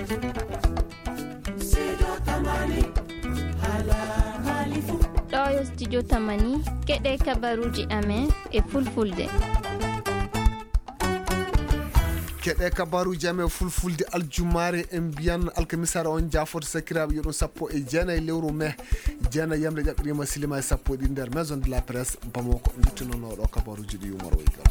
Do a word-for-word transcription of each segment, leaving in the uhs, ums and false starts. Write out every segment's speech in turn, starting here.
Ɗo yo studio Tamani, keɗe kabaruuji amen e fulfulde. Keɗe kabaruuji amen fulfulde aljumaare, en mbiyan alkamisaare on jaafoto sakiraaɓe, yo ɗum sappo e jeenayi lewru mee, jeenayi yamre ƴaɓɓiriima silima e sappo e ɗiɗi nder Maison de la Presse Bamako, nduttinonoo ɗo kabaruuji ɗi Umar Waygal.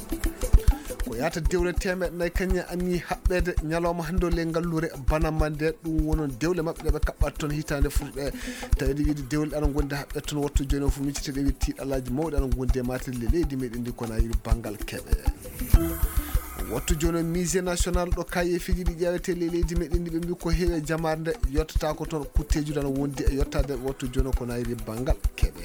Ko yaata dewle teemeɗɗe nayi kañum anni haɓɓeede ñalawma hannde o ley ngalluure Banamba nde, ɗum wonon dewle maɓɓe ɗe ɓe kaɓɓata toon hitaande furɗe. Tawi ɗe wiide dewle ɗe ana ngondi haɓɓeede toon wattu jooni o fof, miccete ɗe wiide tiiɗalaaji mawɗi ana ngondi e maate le leydi meɗen ndi ko na yiri banngal keɓe. Wattu jooni o musée national ɗo kayeefiiji ɗi ƴeewete le leydi meɗen ndi ɓe mbi ko heewi e jamaare nde yottata ko toon kutteeji ɗi ana wondi e yottaade wattu jooni o ko na yiri banngal keɓe.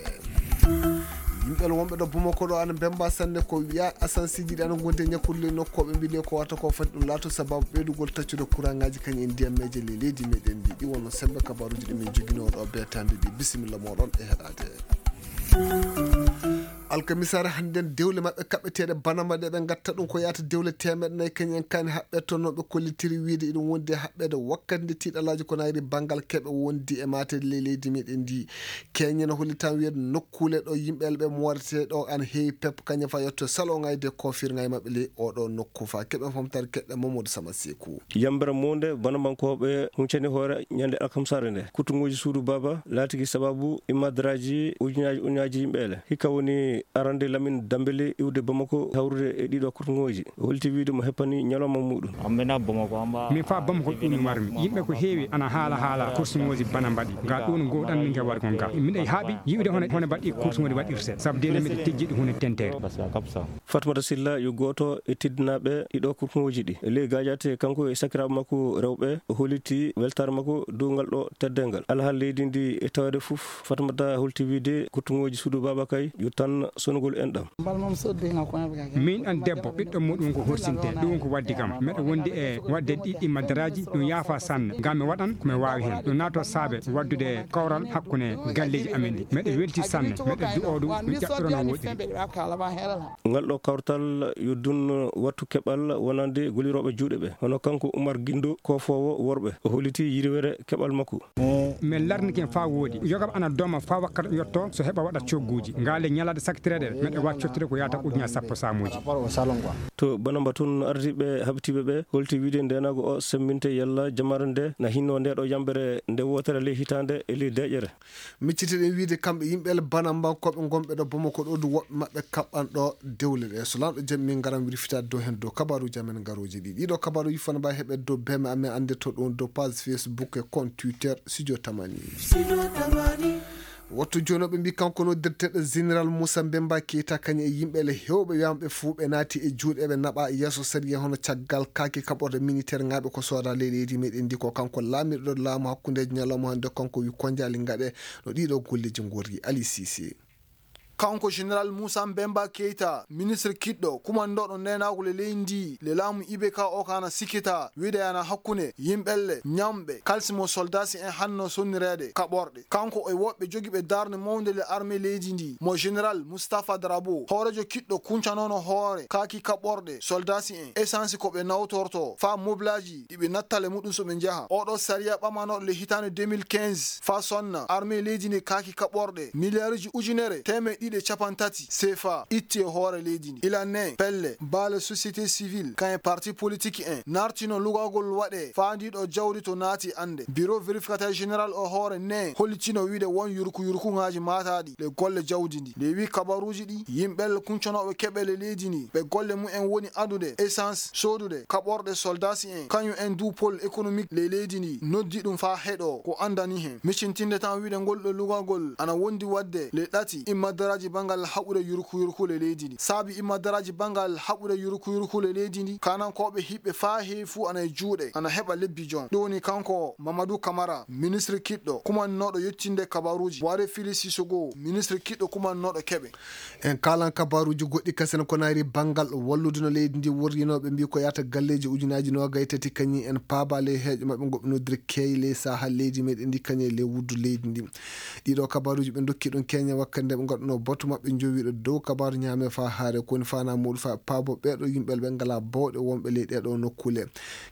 Yimɓe wonɓe ɗo Bamako ɗo ana mbemba sanne ko wiya asansiiji ɗi ana ngondi e ñakkude ley nokku o ɓe mbi le ko wata ko fati ɗum laato sababu ɓeydugol taccude courant ngaji kañum e ndiyammeeje le leydi meɗen ndi ɗi wonno sembe kabaruuji ɗi min joginoo ɗo beetaande ɗi bisimilla moɗon e heɗaade. Alkamisaare hannden dewle maɓɓe kaɓɓeteeɗe Banamba ɗe ɓe ngatta ɗum ko yaata dewle teemeɗɗe nayi kañum en kani haɓɓe toon no ɓe kollitiri wiide iɗum wondi e haɓɓeede wakkati nde tiiɗalaaji ko nayri banngal keɓe wondi e maate ley leydi meɗen ndi. Keñe no holli tan wiyeede nokkuule ɗo yimɓe ɓe mooretee ɗo ana heewi pep kañum fa yetto salon ngayde kofir ngay maɓɓe ley oɗo nokku fa keɓe fomtare keɓe Mamadou Sama Seku. Yambere monde Banabankooɓe huncani hoore ñande alkamsare nde. Kuttuŋooji suudu Baba laatiki sababu immadraji ujunaji ujunaji yimɓe ele. Hikka woni arande Lamine Dambele iwde Bamako hawrude e ɗiɗo kuttuŋooji. O holti wiide mo heppani ñalawma muɗum. Min fa Bamako ɗum mi warmi. Yimɓe ko heewi ana haala haala kursuŋooji bana mbaɗi. Nga ɗum gowɗan min ke wargon ga. Miɗa haaɓi yi'ude hono, hono mbaɗi kursuŋooji waɗirte. Sabu de miɗa tejjiɗi huunde tentere. Fatmata Silla yo gooto e teddinaaɓe ɗiɗo kurkuŋooji ɗi. E ley gaajaate kanko e sakiraaɓe makko rewɓe, o holliti weltaare makko dow ngal ɗo teddeengal. Alhaali leydi ndi e taweede fof, Fatmata holti wiide kurtuŋooji suudu Baaba Kay yo tan sonugol enɗam. Min ɗan debbo, ɓiɗɗo muɗum ko horsinte, ɗum ko waddi kam. Miɗo wondi e waɗde ɗiɗɗi madaraaji, ɗum yaafa sanne. Ngam mi waɗan ko mi waawi heen. Ɗum naato saabe waɗdude kawral hakkunde galleeji amen ɗi. Miɗo welti sanne, miɗo du'oo ɗum, ɗum ƴaɓɓirono woɗɗiri. Ngal ɗo kawtal yo dun wattu keɓal wonande golirooɓe juuɗe ɓe, hono kanko Umar Gindo, koofoowo worɓe. O holliti yirwere keɓal makko. Min larnike faa woodi. Yoga ana dooma faa wakkati yotto so heɓa waɗa cogguuji. Ngaale ñalaade saktireede, meɗe waawi cottude ko yaata ujunaaji sappo saamuuji. To Banamba tun ardiiɓe habtiiɓe ɓe holti wiide ndeenaagu o semmbinte yalla jamaare nde na hinno nde ɗo yambere nde wootere ley hitaande e ley deeƴere. Miccitiɗen wiide kamɓe yimɓe ele Banambankooɓe ngonɓe ɗo Bamako ɗo du woɓɓe maɓɓe kaɓɓan ɗo dewle ɗe. So laamɗo jaɓi min ngaran wirfitaade dow heen dow kabaruuji amen ngarooji ɗi. Ɗiɗo kabaruuji fana mbawi heɓe dow beme amen annde to ɗum dow page Facebook e compte Twitter Studio Tamani. Wattu jooni o ɓe mbi kanko no directeur général Moussa Mbemba Keita kañum e yimɓe ele hewɓe wiyama ɓe fuu ɓe naati e juuɗe ɓe naɓa yeeso sariya hono caggal kaaki kaɓorde militaire ŋaaɓe ko sooda ley leydi meɗen ndi ko kanko laamirɗo laamu hakkundeji ñalawma hannde kanko wi konjaali ngaɗe no ɗiɗo golleji ngorri Ali Cissé. Kanko Général Moussa Mbemba Keita, ministre kiɗɗo, kumandooɗo neenaagu le leydi ndi, le laamu I B K o ka ana sikkita, wiide ana hakkunde yimɓelle, ñamɓe, kalsi mo soldasi en hanno sonnireede, kaɓorɗe. Kanko e woɓɓe jogiiɓe darnde mawnde le armée leydi ndi, mo Général Moustapha Drabo, hooreejo kiɗɗo kuncanoono hoore, kaaki kaɓorɗe, soldasi en, essence ko ɓe nawtorto, faa moblaaji, ɗi ɓe nattale muɗum so ɓe njaha. Oɗo sariya ɓamanooɗo le hitaande deux mille quinze, faa sonna, armée leydi ndi kaaki kaɓorɗe, miliyaaruji ujunere, teemeɗɗe ɗiɗi e capanɗe tati, C F A, itti e hoore leydi ndi. Ila ne, pelle, baale société civile, kañum e parti politique en, nartino lugagol waɗe, faa ndi ɗo jawdi to naati annde. Bureau vérificateur général o hoore ne, hollitino wiide won yurku yurkuŋaaji maataaɗi, le golle jawdi ndi. Nde wi kabaruuji ɗi, yimɓe kuncanooɓe keɓe le leydi ndi, ɓe golle mumen woni adude, essence, soodude, kaɓorɗe soldasi en, kañum en du pôle économique le leydi ndi, noddi ɗum faa heɗo, ko andani hen. Micintinde tan wiide ngol ɗo lugagol, ana wondi wadde le ɗati, immadaraaji bangal haɓude yurku yurku le leydi ndi. Saabi immadaraaji bangal haɓude yurku yurku le leydi ndi, kanankooɓe hiɓɓe faa heewi fuu ana e juuɗe, ana heɓa lebbi jon. Ɗum woni kanko Mamadou Camara, ministre kiɗɗo, kumannooɗo yettinde kabaruuji. Waare Fili Sissoko, ministre kiɗɗo kumannooɗo keɓe. En kaalan kabaaruuji goɗɗi kasen ko nayri banngal wallude no leydi ndi worrinooɓe mbi ko yaata galleeji ujunaaji noogay tati kañum en paaba ley heeƴo maɓɓe ngoɓe noddiri keey ley saha leydi meɗen ndi kañum e ley wuddu leydi ndi. Ɗiɗo kabaaruuji ɓe ndokki ɗum keñe wakkati nde ɓe ngaɗuno Boto maɓɓe njowiiɗo dow kabaaru ñaame faa haare, ko woni faanaa muuɗum faa paabo ɓeeɗo yimɓe ɓe ngalaa bawɗe wonɓe ley ɗeeɗoo nokkuule.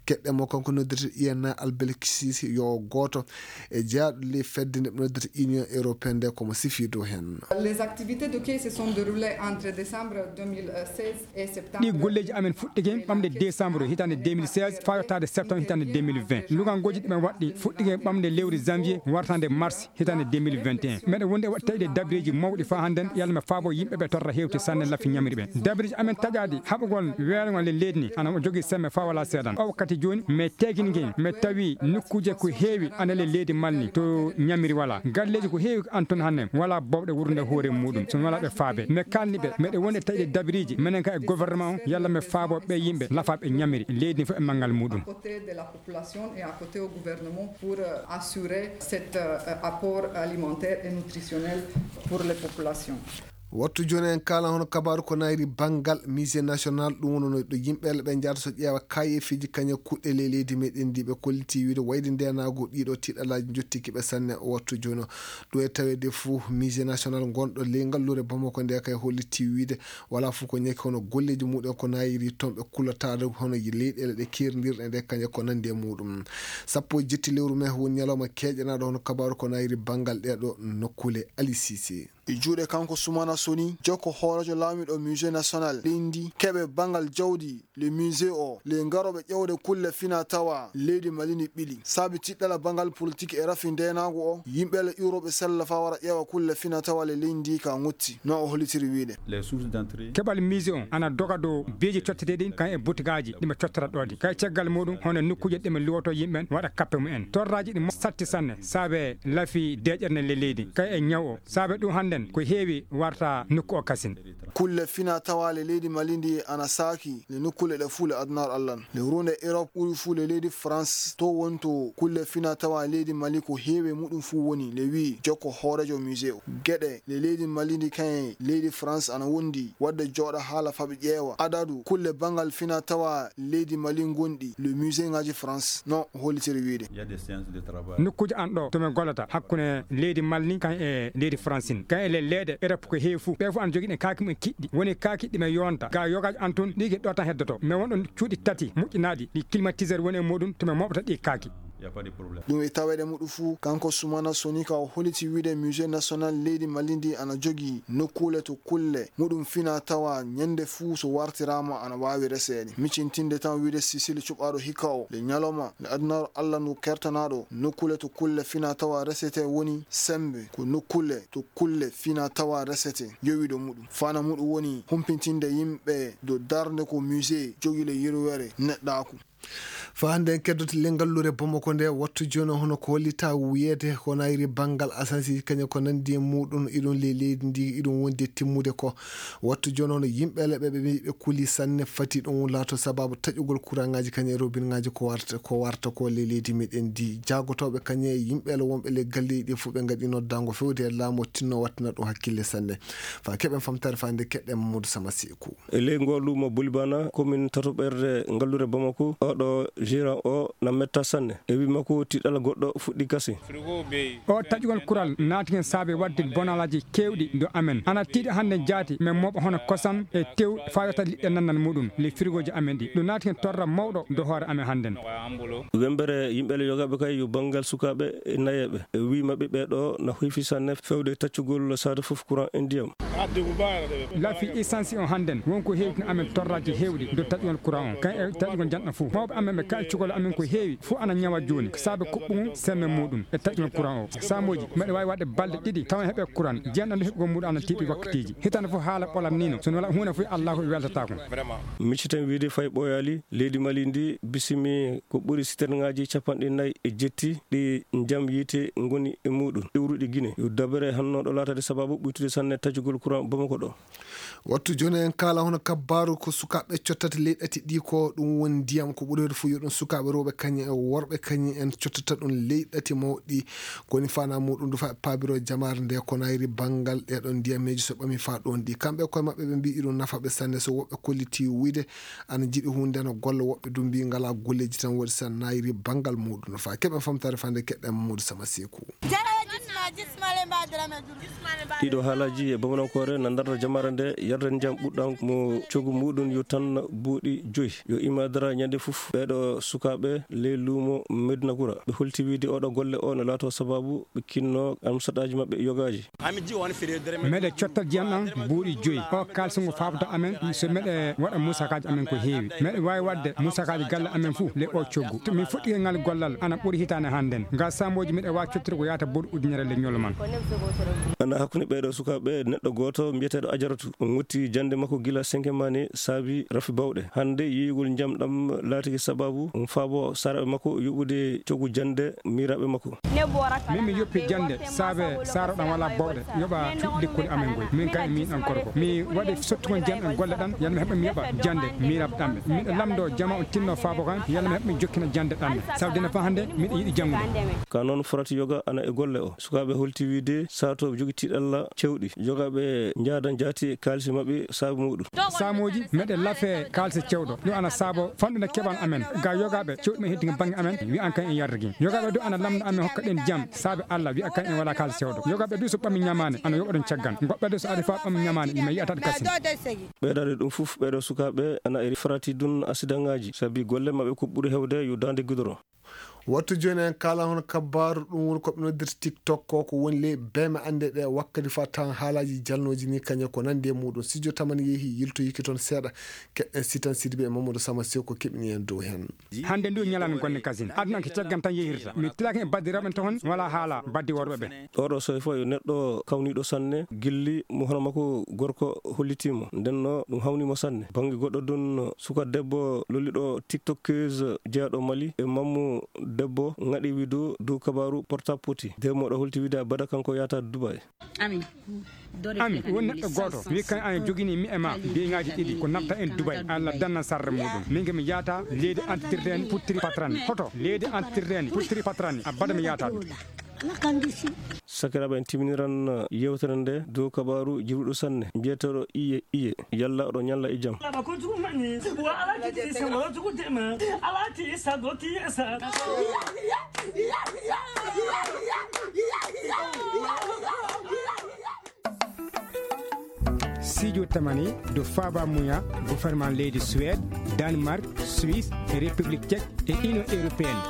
Keɗɗen mo kanko noddirte I N A Albelkisisi yo gooto e jeyaaɗo ley fedde nde ɓe noddirta Union Européenne nde ko mo sifii dow heen. Les activités de quai se sont déroulées entre décembre deux mille seize et septembre. Ɗi golleeji amen fuɗɗike ɓamde décembre hitaande deux mille seize faa yottaade septembre hitaande deux mille vingt. Lugangooji ɗi ɓe waɗɗi fuɗɗike ɓamde lewru janvier wartaande mars hitaande deux mille vingt et un. Meɗen wondi e waɗ-, tawi ɗe dabireeji mawɗi faa hannden, yalla mi faabo yimɓe ɓe torra heewti sanne lafi ñamiri ɓe. Dabireeji amen taƴaadi haɓugol weergol e leydi ndi ana jogii semme faa walaa seedan. O wakkati jooni, mi teegini ngeen, mi tawi nokkuuje ko heewi ana le leydi Mali ndi to ñamiri walaa. Galleeji ko heewi an toon hannden walaa bawɗe wuurnude hoore muuɗum, so walaa ɓe faabe. Mi kaalni ɓe, meɗen wondi e tawi ɗe dabireeji, menen ka e gouvernement o, yalla mi faabo ɓe yimɓe lafaaɓe ñamiri. Leydi ndi fof e manngal muuɗum. Côté de la population et à côté au gouvernement pour, euh, assurer cet, euh, apport alimentaire et nutritionnel pour les populations. Wattu jooni en kaala hono kabaaru ko nayri banngal Musée National, ɗum woni no ɗo yimɓe ɓe njahata so ƴeewa kaayeefiiji kañe kuɗɗe ley leydi meɗen ndi ɓe kolliti wiide wayde ndeenaagu ɗiɗo tiɗalaaji njottiki ɓe sanne o wattu jooni o. Ɗum e taweede fuu Musée National ngonɗo ley ngalluure Bamako nde kay holliti wiide wala fof ko ñaki hono golleeji muɗum ko nayri toon ɓe kullataade hono leyɗeele ɗe keerindirɗe nde kañe ko nandi e muɗum. Sappo e jetti lewru mai woni ñalawma keeƴanaaɗo hono kabaaru ko nayri banngal ɗeeɗo nokkuule. Ali Sise. E juuɗe kanko Sumana Soni, jokko hooreejo laamiiɗo Musée National leydi ndi, keɓe banngal jawdi le musée o, le garooɓe ƴeewde kulle fina tawa leydi Mali ndi ɓili. Saabi tiɗɗala banngal politik e rafi ndeenaagu o, yimɓe le iwrooɓe sella faa wara ƴeewa kulle fina tawa le leydi ndi ka ngotti, no o hollitiri wiide. Les sources d'entrée. Keɓal musée on ana doga dow beeji cotteteeɗi kan e butigaaji ɗi ɓe cottora ɗoodi. Kay caggal muɗum, hono nokkuuje ɗe ɓe luwoto yimɓe ɓen waɗa kappe mumen. Torraaji ɗi mo-, satti sanne, saabe lafi deeƴere nden le leydi. Kay e ñaw o, saabe ɗum hannden ko heewi warta nokku o kasin. Kulle fina tawa le leydi Mali ndi ana saaki le nokkuule ɗe fuu le adunaaru Alla. Le ruunde Europe ɓuri fuu le leydi France, to wonto kulle fina tawa leydi Mali ko heewi muɗum fuu woni le wi'i jokko hooreejo musée o. Geɗe le leydi Mali ndi kañe leydi France ana wondi, wadde jooɗa haala faɓi ƴeewa adadu kulle banngal fina tawa leydi Mali ngonɗi le musée ŋaaji France, no o hollitiri wiide. Il y a des séances de travail. Nokkuuje an ɗo to min gollata hakkunde leydi Mali ndi kan e leydi France ndi. Kan e le-, leyɗe Europe ko heewi fuu. Ɓe fuu ana jogii ɗen kaaki mumen kiɗɗi. Woni kaaki ɗi min yonta. Ga yogaaji an tun, ɗi ki ɗo tan heddoto. Mais won ɗon cuuɗi tati moƴƴinaaɗi, ɗi climatiseur woni e muɗum, to min moɓata ɗi kaaki. Y a pas de problème. Ɗum e taweede muɗum fuu, kanko Sumana Sonika o holliti wiide Musée National leydi Mali ndi ana jogii nokkuule to kulle muɗum fina tawa ñande fuu so wartiraama ana waawi reseede. Micintinde tan wiide Sisili cuɓaaɗo hikka o, le ñalawma le adunaaru Alla ndu kertanaaɗo, nokkuule to kulle fina tawa resete woni sembe, ko nokkuule to kulle fina tawa resete, yowiiɗo muɗum. Fana muɗum woni humpitinde yimɓe dow darnde ko musée jogii le yirwere neɗɗaaku. Faa hannde en keddoto le ngalluure Bamako nde, wattu jooni o hono ko hollita wiyeede ko nayri banngal asansiiji kañum ko nanndi e muɗum, iɗum ley leydi ndi, iɗum wondi e timmude ko. Wattu jooni o hono yimɓe le ɓe, ɓe mbiyi ɓe kuli sanne, fati ɗum laato sabaabu taƴugol kuraŋaaji kañum e robinŋaaji ko warta, ko warta ko ley leydi meɗen ndi. Jaagotooɓe kañum e yimɓe le wonɓe le galleeji ɗi fof ɓe ngaɗi noddaango fewde e laamu o tinno wattina ɗum hakkille sanne. Faa keɓen famtaare faa nde keɗɗen Mamadou Sama Seeku. E ley ngoo luumo Bulibana, komin tatoɓerde ngalluure Bamako, oɗo gérant o na metta sanne. E wii makko tiɗɗal goɗɗo fuɗɗi gasi. O taƴugol kural naati hen saabe waɗde bonalaaji keewɗi do amen. Ana tiiɗi hannde jaati, men mooɓa hono kosam e tew faa yotta liɗɗe nannan muɗum, ley firigooji amen ɗi. Ɗum naati hen torra mawɗo do hoore amen hannden. Wembere yimɓe le yogaaɓe kay yo banngal sukaaɓe e nayeeɓe. E wii maɓɓe ɓee ɗoo na hoyfi sanne fewde taccugol saare fof courant e ndiyam. Lafi essence on hannden, won ko heewtini amen torraaji heewɗi dow taƴugol courant on, kan e taƴugol janɗo fof. Mawɓe amen ɓe kaccugol amen ko heewi, fof ana ñawa jooni, ko saabe kuɓɓugol semme muɗum e taƴugol courant o. Saamooji, mbeɗa waawi waɗde balɗe ɗiɗi, tawa heɓe courant, jeenɗo nde heɓugol muɗum ana tiiɗi wakkatiiji. Hitaande fof haala ɓolan ni no, so wona huunde fof Allaahu weltataako. Micciten wiide fay ɓooyaali, leydi Mali ndi bisimi ko ɓuri siternŋaaji capanɗe nayi e jetti ɗi njam yiite ngoni e muɗum. Iwruɗi Gine, yo dabere hannooɗo laatade sabaabu ɓuytude sanne taƴugol courant Bamako ɗo. Wattu jooni en kaala hono kabbaaru ko sukaaɓe cottata ley ɗati ɗi ko ɗum woni ndiyam ko ɓuri heewde fof yo ɗum sukaaɓe rewɓe kañum e worɓe kañum en cottata ɗum ley ɗati mawɗi. Ko woni faanaa muɗum du faa ɓe paabiro jamaare nde ko nayri banngal ɗee ɗoon ndiyameeji so ɓami faa ɗoon ɗi. Kamɓe koye maɓɓe ɓe mbiyi iɗum nafa ɓe sanne so woɓɓe kolliti wiyde ana jiɗi huunde ana golla woɓɓe du mbiyi ngalaa golleeji tan waɗi so nayri banngal muɗum no faa keɓen famtaare faa nde keɗɗen Mamadou Sama Seeku. Jaraweji Ɗiɗo haalaaji e Bamanankoore na ndarda jamaare nde, yarde ndiyam ɓuɗɗam mo coggu muɗum yo tan buuɗi joyi. Yo imaadara ñande fof ɓeeɗo sukaaɓe ley luumo Medina Gura. Ɓe holti wiide oɗo golle o no laato sababu ɓe kinno amsataaji maɓɓe yogaaji. Meɗe cottal jiyam ɗam buuɗi joyi. O kaalisi ngo faabata amen, so meɗe waɗa musakaaji amen ko heewi. Meɗe waawi waɗde musakaaji galle amen fof le o coggu. To min fuɗɗi ngal gollal, ana ɓuri hitaande hannden. Ngal saamooji meɗe waawi cottude ko yaata boɗo ujunere le ñolo man. Ana hakkunde ɓeeɗo sukaaɓe neɗɗo gooto mbiyeteeɗo Ajaratu. O ŋotti jannde makko gila senke mani saabi rafi bawɗe. Hannde yiyugol njam ɗam laatiki sababu um faabo saaraaɓe makko yoɓude coggu jannde miiraaɓe makko. Min mi yoppi jannde saabe saaro ɗam wala bawɗe yoɓa cuuɗi lekkoli amen ngoy. Min kay min an korko. Mi waɗi sottugol jam e golle ɗam, yalla mi heɓa mi yoɓa jannde miiraaɓe ɗam. Miɗo lamndo jama on tinno faabo kan, yalla mi heɓa mi jokkina jannde ɗam. Sabu dina fa hannde miɗo yiɗi janngude. Ka noon forati yoga ana e golle o. Sukaaɓe holti wiide saatooɓe jogi tiiɗalla cewɗi. Yogaaɓe njaada njaati kaalisi maɓɓe saabu muɗum. Saamooji meɗe lafe kaalisi cewɗo. Ɗum ana saabo fanɗude keɓal amen. Ga yogaaɓe cewɗi men heddi bannge amen, wi an kan en yarrigi. Yogaaɓe du ana lamndo amen hokka ɗen jam, saabe Alla, wi an kan en wala kaalisi cewɗo. Yogaaɓe du so ɓammi ñamaane, ana yoɓa ɗum caggal. Goɗɗo du so ari fa ɓammi ñamaane, ima yi'ata kasin. Ɓeydaade ɗum fof, ɓeeɗo sukaaɓe ana e farati dun asidaŋaaji, sabi golle maɓɓe ko ɓuri heewde yo daande gudoro. Wattu jooni en kaala hono kabbaaru ɗum woni ko ɓe noddirta TikTok ko, ko woni ley beeme annde ɗe wakkati fa tan haalaaji jalnooji ni kañe ko nandi e muɗum. Sijo Tamani yehi yiltoyiki toon seeɗa. Keɗen Sitan Sidibe e Mamadou Sama Sew ko keɓini en dow heen. Hannde ndu ñalande gonne kasin. Aduna ko caggal tan yehirta. Mi tilaaki e baddiraaɓe toon wala haala baddi worɓe ɓe. Oɗo soy fof yo neɗɗo kawniiɗo sanne, gilli mo hono makko gorko hollitiimo. Nden no ɗum hawniimo sanne. Bannge goɗɗo ɗum, suka debbo lolliɗo TikTokeuse jeyaaɗo Mali e mammu debbo ŋaɗi widu dow kabaaru porta poti. Demo ɗo holti wiide abada kanko yaata Dubai. Ami, won neɗɗo gooto wi kan an jogini mi e ma beŋaaji ɗiɗi ko natta en Dubai, Allah danna sarre muɗum. Min ke mi yaata leydi antitirteeni puttiri patrani. Hoto leydi antitirteeni puttiri patrani, abada mi yaata ɗum. Sakiraaɓe, en timiniran yewtere nde dow kabaaru jiruɗo sanne, mbiyeteeɗo Iye Iye. Yalla oɗo ñalla e jam. Sijo Tamani do Faba Muya, gouvernement leydi Suède, Danemark, Suisse, République Tchèque et Union Européenne.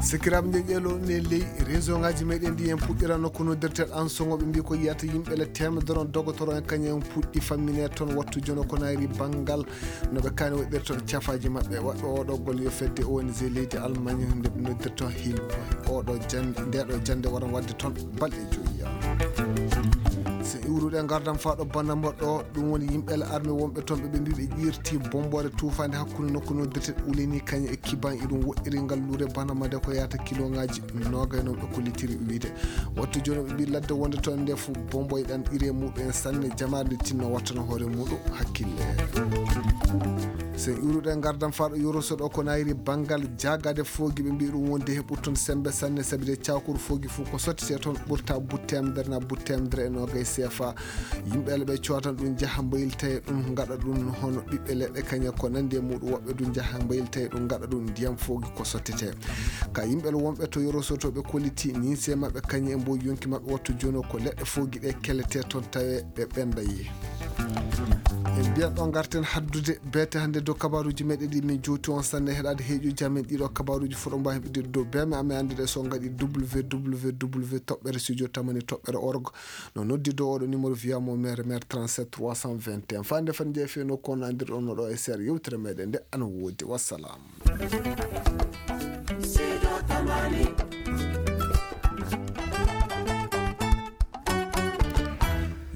Sikiraaɓe, nde ƴeelo ne ley réseau ngaji meɗen ndi en puɗɗirano ko noddirtel an songoɓe mbi ko yiyata yimɓe le temedere on dogotoro en kañum en puɗɗi fammine toon wattu jono ko nayri banngal no ɓe kani waɗirta cafaaji maɓɓe. Waɗɗo oɗo golle yo fedde O N G leydi Allemagne nde ɓe noddirta Hilfe. Oɗo jannde, ndeɗo jannde waran waɗde toon balɗe joyi. So iwruɗe ngardan faa ɗo bannda mo ɗo, ɗum woni yimɓe le armée wonɓe toon ɓe ɓe mbi ɓe ƴirti bomboore tuufaande hakkunde nokku noddirte Uleni kañum e Kiban iɗum woɗɗiri ngal lure bana made ko yahata kiloŋaaji noogay noon ɓe kollitiri wiide. Wattu jooni ɓe mbi ladde wonde toon nde fof bomboy ɗan ire muɗum en sanne jamaare nde tinno wattano hoore muɗum hakkille. So en iwruɗe ngardan faa ɗo yoroso ɗo ko nayri banngal jaagade foogi ɓe mbi ɗum wonde heɓu toon sembe sanne sabi de cawkuru foogi fof ko sottete toon ɓurta but temedere na but temedere e noogay C F A. Yimɓe le ɓe cootan ɗum njaha mbayilta e ɗum ngaɗa ɗum hono ɓiɓɓe leɗɗe kañe ko nandi e muɗum woɓɓe ɗum njaha mbayilta e ɗum ngaɗa ɗum ndiyam foogi ko sottete. Ka yimɓe le wonɓe to yoroso to ɓe kolliti ninse maɓɓe kañe e mbo yonki maɓɓe wattu jono ko leɗɗe foogi ɗe kellete toon tawe ɓe ɓenda yi. En mbiyan ɗo ngarten haddude beete hannde dow kabaruuji meɗen ɗi min jowti on sanne heɗaade heeƴuji amen ɗiɗo kabaruuji fof ɗo mbawi heɓude dow beeme amen anndude so ngaɗi www toɓɓere studio tamani toɓɓere org. No noddi dow oɗo numéro via mo maire maire trente-sept trois cent vingt et un. Fande fan jeefe no kono andirɗon no ɗo e seer yewtere meɗen nde ana woodi. Wassalam. Sido Tamani.